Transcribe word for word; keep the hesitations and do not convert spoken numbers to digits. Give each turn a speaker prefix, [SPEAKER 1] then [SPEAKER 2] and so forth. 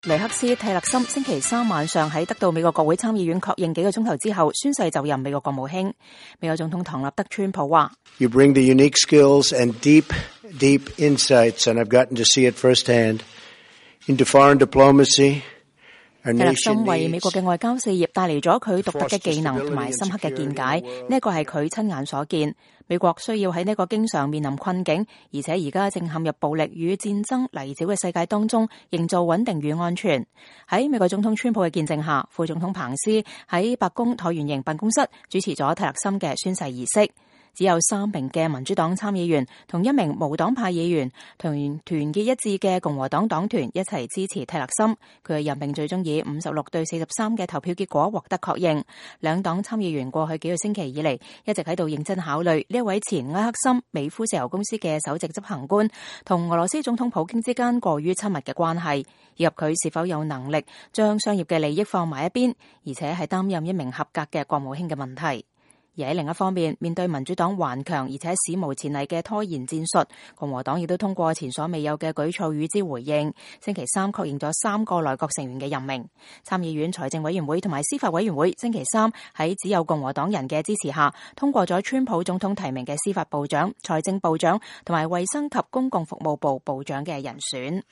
[SPEAKER 1] 尼克斯蒂勒森星期三晚上喺得到美國國會參議院確認幾個鐘頭之後宣誓就任美國國務卿。美國總統唐納德川普話
[SPEAKER 2] You bring the unique skills and deep, deep insights, and I've gotten to see it firsthand, into foreign diplomacy.
[SPEAKER 1] 蒂勒森為美國嘅外交事業帶嚟咗佢獨特嘅技能同埋深刻嘅見解，呢一個係佢親眼所見。美國需要喺呢個經常面臨困境，而且而家正陷入暴力與戰爭泥沼嘅世界當中，營造穩定與安全。喺美國總統川普嘅見證下，副總統彭斯喺白宮橢圓形辦公室主持咗蒂勒森嘅宣誓儀式。只有三名嘅民主黨參議員同一名無黨派議員同團結一致嘅共和黨黨團一齊支持蒂勒森，佢嘅任命最終以五十六對四十三嘅投票結果獲得確認。兩黨參議員過去幾個星期以嚟一直喺度認真考慮呢一位前埃克森美孚石油公司嘅首席執行官同俄羅斯總統普京之間過於親密嘅關係，以及佢是否有能力將商業嘅利益放埋一邊，而且係擔任一名合格嘅國務卿嘅問題。而喺另一方面，面對民主黨頑強而且史無前例嘅拖延戰術，共和黨亦都通過前所未有嘅舉措與之回應。星期三確認咗三個內閣成員嘅任命。參議院財政委員會同埋司法委員會星期三喺只有共和黨人嘅支持下，通過咗川普總統提名嘅司法部長、財政部長同埋衛生及公共服務部部長嘅人選。